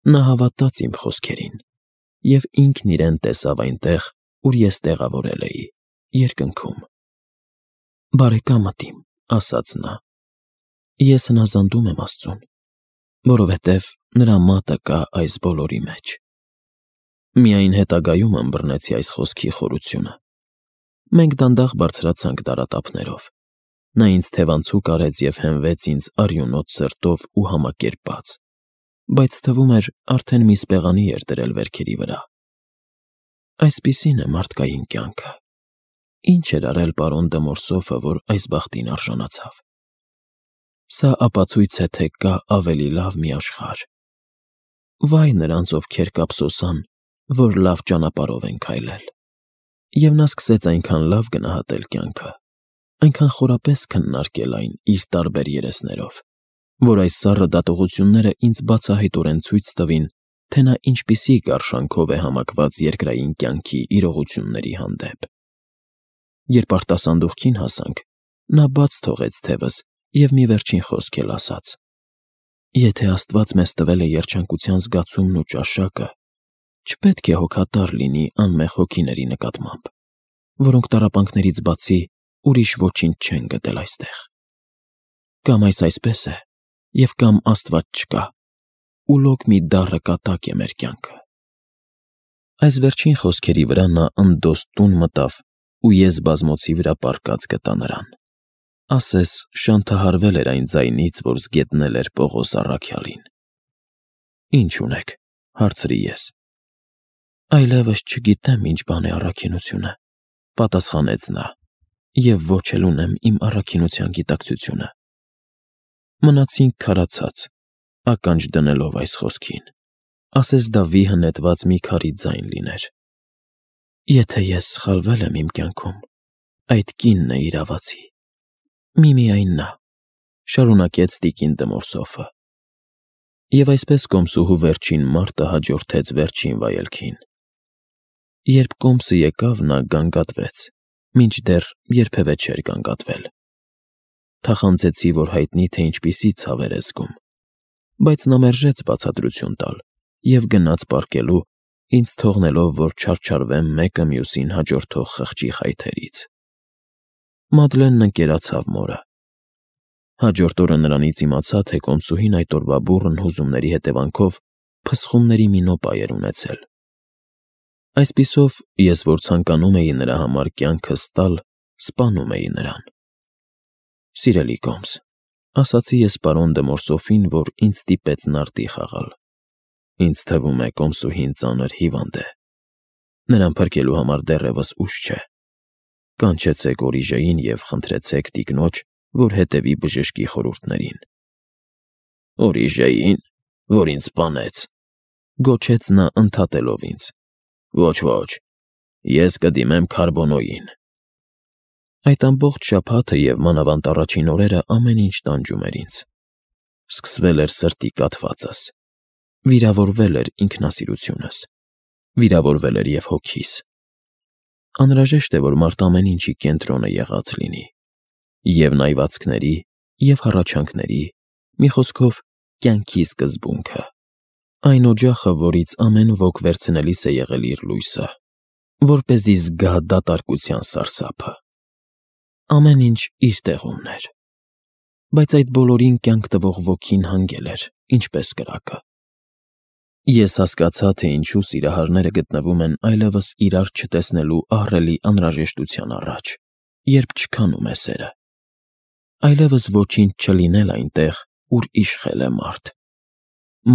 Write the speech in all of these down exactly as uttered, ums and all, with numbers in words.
Նա հավատաց իմ խոսքերին, և ինքն իրեն տեսավ այնտեղ, ուր ես տեղավորել էի, երկնքում։ «Բարեկամդ իմ,» ասաց նա, «ես հնազանդում եմ Աստծուն, որովհետև նրա մատը կա այս բոլորի մեջ»։ Միայն հետագայում ըմբռնեցի այս խոսքի խորությունը։ Մենք դանդաղ բարձրացանք դարատափներով։ Նա ինձ թևանցուկ արեց և հենվեց ինձ արյունոտ սրտով ու համակերպած, բայց թվում էր արդեն մի սպեղանի էր դրել վերքերի վրա։ Այսպիսին է մարդկային կյանքը։ Ինչ էր արել պարոն դը Մորսոֆը, որ այս բախտին արժանացավ։ Սա ապացույց է, թե կա ավելի լավ մի աշխարհ։ Վայ նրանց, ովքեր կափսոսան, որ լավ ճանապարհով են քայլել։ Եվ նա սկսեց այնքան լավ գնահատել կյանքը, այնքան խորապես քննարկել այն իր տարբեր երեսներով, որ այս սառը դատողությունները ինձ բացահայտորեն ցույց տվին, թե նա ինչպիսի գարշանքով է համակված երկրային կյանքի իրողությունների հանդեպ։ Երբ արտասանդուղքին հասանք, նա բաց թողեց թևս և մի վերջին խոսք էլ ասաց. «Եթե Աստված մեզ տվել է երջանկության զգացումն ու ճաշակը, չպետք է հոգատար լինի անմեղ հոգիների նկատմամբ, որոնք տառապանքներից բացի ուրիշ ոչինչ չեն գտել այստեղ։ Կամ այս այսպես է, և կամ Աստված չկա, ու լոկ մի դառը կատակ է մեր կյանքը»։ Այս վերջին խոսքերի վրա նա ընդոստ տուն մտավ, ու ես բազմոցի վրա պառկած գտա նրան։ Ասես շանթահարվել էր այն ձայնից, որ զգետնել էր Պողոս առաքյալին։ «Ի՞նչ ունեք,» հարցրի ես։ «Այլևս չգիտեմ ինչ բան է առաքինությունը,» պատասխանեց նա, «և ոչ էլ ունեմ իմ առաքինության գիտակցությունը»։ Մնացինք քարացած, ականջ դնելով այս խոսքին, ասես դա վիհը նետված մի քարի ձայն լիներ։ «Եթե ես սխալվել եմ իմ կյանքում, այդ կինն է իրավացի, միմիայն նա», շարունակեց տիկին դը Մորսոֆը։ Եվ այսպես կոմսուհու վերջին մարտը հաջորդեց վերջին վայելքին։ Երբ կոմսը եկավ, նա գանգատվեց, մինչդեռ երբևէ չէր գանգատվել։ Թախանձեցի, որ հայտնի թե ինչպիսի ցավ էր զգում, բայց նա մերժեց բացատրություն տալ և գնաց պառկելու, ինձ թողնելով, որ չարչարվեմ մեկը մյուսին հաջորդող խղճի խայթերից։ Մադլենն ընկերացավ մորը։ Հաջորդ օրը նրանից իմացա, թե կոմսուհին այդ օրվա բուռն հուզումների հետևանքով փսխումների մի նոպա էր ունեցել։ Այսպիսով, ես, որ ցանկանում էի նրա համար կյանքս տալ, սպանում էի նրան։ «Սիրելի կոմս,» ասացի ես պարոն դը Մորսոֆին, որ ինձ ստիպեց նարդի խաղալ, «ինձ թվում է կոմսուհին ծանր հիվանդ է։ Նրան փրկելու համար դեռևս ուշ չէ։ Կանչեցեք Օրիժեին և խնդրեցեք տիկնոջ, որ հետևի բժշկի խորհուրդներին»։ «Օրիժեի՞ն, որ ինձ սպանեց,» գոչեց նա ընդհատելով ինձ։ «Ոչ, ոչ, ես կդիմեմ Քարբոնոյին»։ Այդ ամբողջ շաբաթը և մանավանդ առաջին օրերը ամեն ինչ տանջում էր ինձ։ Սկսվել էր սրտի կաթվածս, վիրավորվել էր ինքնասիրությունս, վիրավորվել էր և հոգիս։ Անհրաժեշտ է, որ մարդ ամեն ինչի կենտրոնը եղած լինի, և նայվածքների, և հառաչանքների, մի խոսքով, կյանքի սկզբունքը, այն օջախը, որից ամեն ոք վերցնելիս է եղել իր լույսը, որպեսզի զգա դատարկության սարսափը։ Ամեն ինչ իր տեղումն էր, բայց այդ բոլորին կյանք տվող ոգին հանգել էր, ինչպես կրակը։ Ես հասկացա, թե ինչու սիրահարները գտնվում են այլևս իրար չտեսնելու ահռելի անհրաժեշտության առաջ, երբ չքանում է սերը։ Այլևս ոչինչ չլինել այնտեղ, ուր իշխել է մարդ։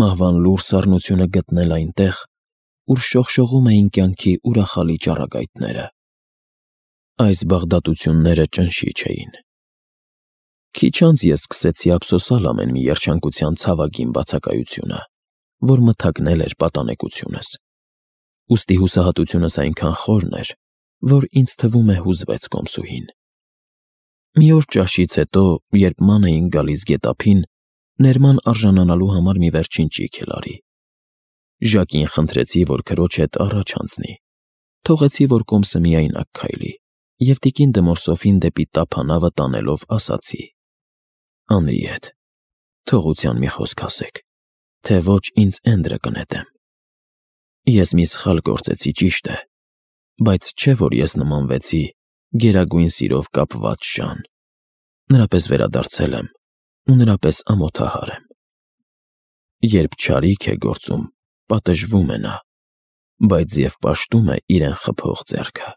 Մահվան լուռ սառնությունը գտնել այնտեղ, ուր շողշողում էին կյանքի ուրախալի ճառագայթները։ Այս բաղդատությունները ճնշիչ էին։ Քիչ անց ես սկսեցի ափսոսալ ամեն մի երջանկության ցավագին բացակայությունը, որ մթագնել էր պատանեկությունս։ Ուստի հուսահատությունս այնքան խորն էր, որ ինձ թվում է հուզվեց կոմսուհին։ Մի օր ճաշից հետո, երբ ման էին գալիս գետափին, ներման արժանանալու համար մի վերջին ճիգ էլ արի։ Ժակին խնդրեցի, որ քրոջ հետ առաջ անցնի։ Թողեցի, որ կոմսը միայնակ քայլի, և տիկին դը Մորսոֆին դեպի տափանավը տանելով ասացի. «Անրի հետ թողության մի խոսք ասեք, թե ոչ ինձ Էնդրը կնետեմ։ Ես մի սխալ գործեցի, ճիշտ է, բայց չէ՞ որ ես նմանվեցի գերագույն սիրով կապված շան, նրա պես վերադարձել եմ ու նրա պես ամոթահար եմ։ Երբ չարիք է գործում, պատժվում է նա, բայց և պաշտում է իրեն խփող ձեռքը։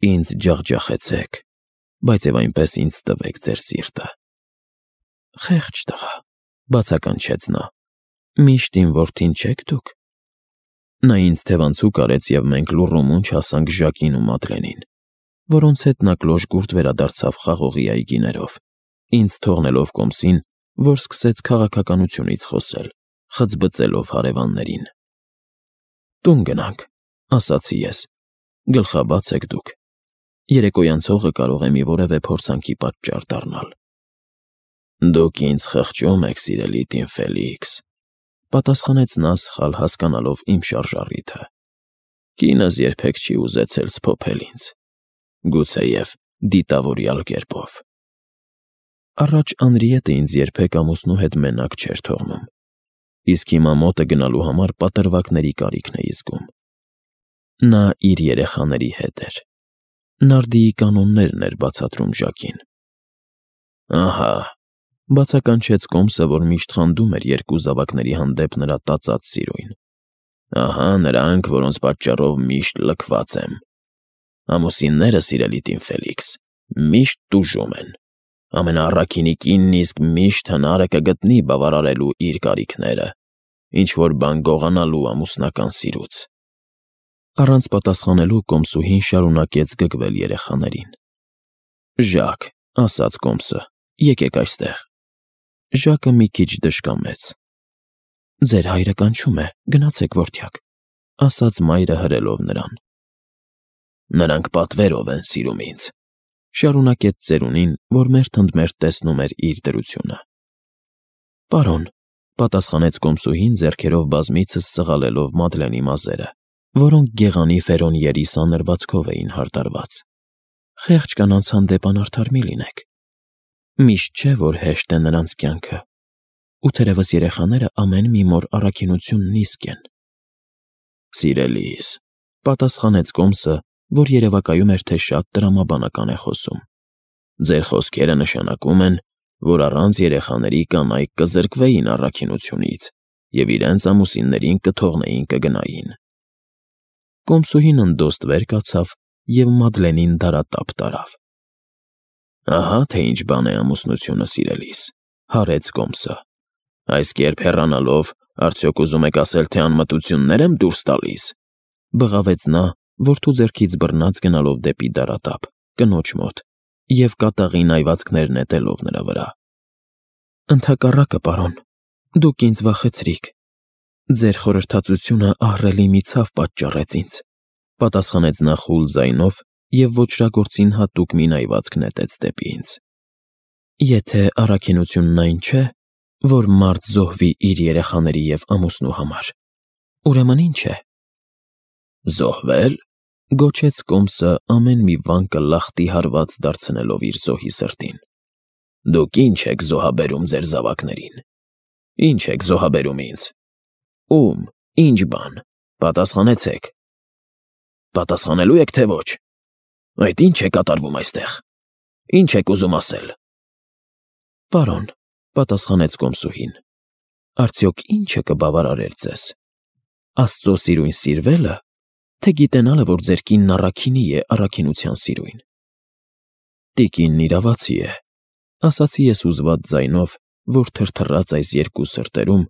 Ինձ ջախջախեցեք, բայց և այնպես ինձ տվեք ձեր սիրտը։ Խեղճ տղա, բացականչեց նա, միշտ իմ որդին չեք դուք։ Նա ինձ թևանցուկ արեց, և մենք լուռումունջ հասանք Ժակին ու Մադլենին, որոնց հետ նա կլոր-գուրտ վերադարձավ խաղողի այգիներով, ինձ թողնելով կոմսին, որ սկսեց քաղաքականությունից խոսել, խծբծելով հարևաններին։ Տուն գնանք, ասացի ես, գլխաբաց եք դուք, երեկոյան ցողը կարող է մի որևէ փորձանքի պատճառ դառնալ։ Դուք ինձ խղճում եք, սիրելի տին Ֆելիքս, պատասխանեց նա սխալ հասկանալով իմ շարժառիթը։ Կինս երբեք չի ուզեցել սփոփել ինձ, գուցեև դիտավորյալ կերպով։ Առաջ Անրիետը ինձ երբեք ամուսնու հետ մենակ չէր թողնում, իսկ հիմա մոտը գնալու համար պատրվակների կարիքն էի զգում։ Նա իր երեխաների հետ էր։ Նարդիի կանոններն էր բացատրում Ժակին։ Ահա, բացականչեց կոմսը, որ միշտ խանդում էր երկու զավակների հանդեպ նրա տածած սիրույն։ Ահա նրանք, որոնց պատճառով միշտ լքված եմ։ Ամուսինները, սիրելի տին Ֆելիքս, միշտ տուժում են։ Ամենաառաքինի կինն իսկ միշտ հնարը կգտնի բավարարելու իր կարիքները, ինչ-որ բան գողանալու ամուսնական սիրուց։ Առանց պատասխանելու կոմսուհին շարունակեց գգվել երեխաներին։ Ժակ, ասաց կոմսը, եկեք այստեղ։ Ժակը մի քիչ դժկամեց։ Ձեր հայրը կանչում է, գնացեք, որդյակ, ասաց մայրը հրելով նրան։ Նրանք պատվերով են սիրում ինձ, շարունակեց ծերունին, որ մերթընդմերթ տեսնում էր իր դրությունը։ Պարոն, պատասխանեց կոմսուհին ձեռքերով բազմիցս սղալելով Մադլենի մազերը, որոնք գեղանի ֆերոնիերի սանրվածքով էին հարդարված։ Խեղճ կանանց հանդեպ անարդար մի լինեք։ Միշտ չէ, որ հեշտ է նրանց կյանքը, ու թերևս երեխաները ամեն մի մոր առաքինությունն իսկ են։ Սիրելիս, պատասխանեց կոմսը, որ երևակայում էր, թե շատ տրամաբանական է խոսում։ Ձեր խոսքերը նշանակում են, որ առանց երեխաների կանայք կզրկվեին առաքինությունից և իրենց ամուսիններին կթողնեին կգնային։ Կոմսուհին ընդոստ վեր կացավ և Մադլենին դարատափ տարավ։ Ահա թե ինչ բան է ամուսնությունը, սիրելիս, հարեց կոմսը։ Այս կերպ հեռանալով, արդյոք ուզում եք ասել, թե անմտություններ եմ դուրս տալիս, բղավեց նա, որդու ձեռքից բռնած գնալով դեպի դարատափ, կնոջ մոտ, և կատաղի նայվածքներ նետելով նրա վրա։ Ընդհակառակը, պարոն, դուք ինձ վախեցրիք։ Ձեր խորհրդածությունը ահռելի մի ցավ պատճառեց ինձ, պատասխանեց նա խուլ ձայնով և ոճրագործին հատուկ մի նայվածք նետեց դեպի ինձ։ Եթե առաքինությունն այն չէ, որ մարդ զոհվի իր երեխաների և ամուսնու համար, ուրեմն ինչ է։ Զոհվել, գոչեց կոմսը ամեն մի վանկը լախտի հարված դարձնելով իր զոհի սրտին։ Դուք ինչ եք զոհաբերում ձեր զավակներին։ Ինչ եք զոհաբերում ինձ։ Ում, ինչ բան, պատասխանեցեք։ Պատասխանելու եք, թե ոչ։ Այդ ինչ է կատարվում այստեղ։ Ինչ եք ուզում ասել։ Պարոն, պատասխանեց կոմսուհին, արդյոք ինչը կբավարարեր ձեզ։ Աստծո սիրույն սիրվելը, թե գիտենալը, որ ձեր կինն առաքինի է առաքինության սիրույն։ Տիկինն իրավացի է, ասացի ես հուզված ձայնով, որ թրթռաց այս երկու սրտերում,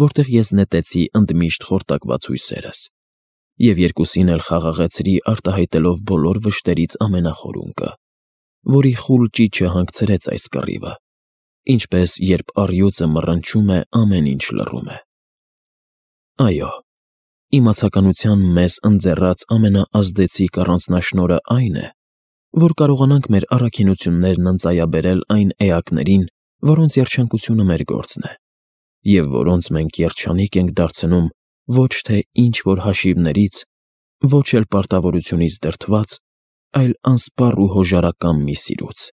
որտեղ ես նետեցի ընդմիշտ խորտակված հույսերս, և երկուսին էլ խաղաղեցրի արտահայտելով բոլոր վշտերից ամենախորունկը, որի խուլ ճիչը հանգցրեց այս կռիվը, ինչպես երբ առյուծը մռնչում է, ամեն ինչ լռում է։ Այո, իմացականության մեզ ընձեռած ամենաազդեցիկ առանձնաշնորհը այն է, որ կարողանանք մեր առաքինություններն ընծայաբերել այն էակներին, որոնց երջանկությունը մեր գործն է, և որոնց մենք երջանիկ ենք դարձնում ոչ թե ինչ-որ հաշիվներից, ոչ էլ պարտավորությունից դրդված, այլ անսպառ ու հոժարակամ մի սիրուց։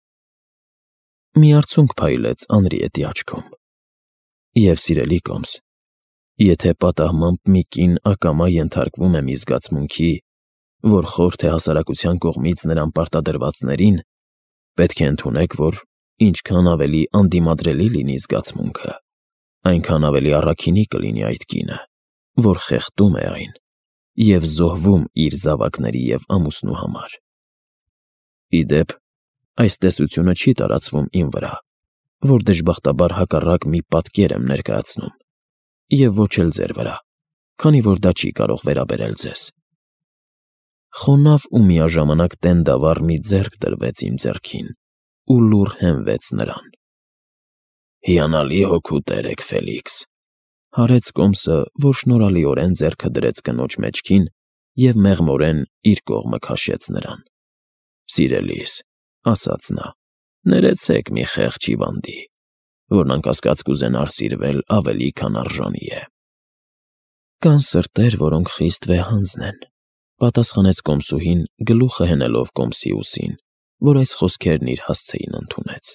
Մի արցունք փայլեց Անրիետի աչքում։ Եվ սիրելի Կոմս, եթե պատահմամբ մի կին ակամա ենթարկվում է մի զգացմունքի, որ խորթ է հասարակության կողմից նրան պարտադրվածներին, պետք է ընդունեք, որ ինչքան ավելի անդիմադրելի լինի զգացմունքը, այնքան ավելի առաքինի կլինի այդ կինը, որ խեղդում է այն և զոհվում իր զավակների և ամուսնու համար։ Ի դեպ, այս տեսությունը չի տարածվում իմ վրա, որ դժբախտաբար հակառակ մի պատկեր եմ ներկայացնում, և ոչ էլ ձեր վրա, քանի որ դա չի կարող վերաբերել ձեզ։ Խոնավ ու միաժամանակ տենդավառ մի ձեռք դրվեց իմ ձեռքին ու լուռ հենվեց նրան։ «Հիանալի հոգու տեր եք, Ֆելիքս», հարեց Կոմսը, որ շնորհալիորեն ձեռքը դրեց կնոջ մեջքին և մեղմորեն իր կողմը քաշեց նրան։ «Սիրելիս», ասաց նա, «ներեցեք մի խեղճ հիվանդի, որն անկասկած կուզենար սիրվել ավելի, քան արժանի է»։ «Կան սրտեր, որոնք խիստ վեհանձն են», պատասխանեց կոմսուհին, գլուխը հենելով Կոմսի ուսին, որ այս խոսքերն իր հասցեին ընդունեց։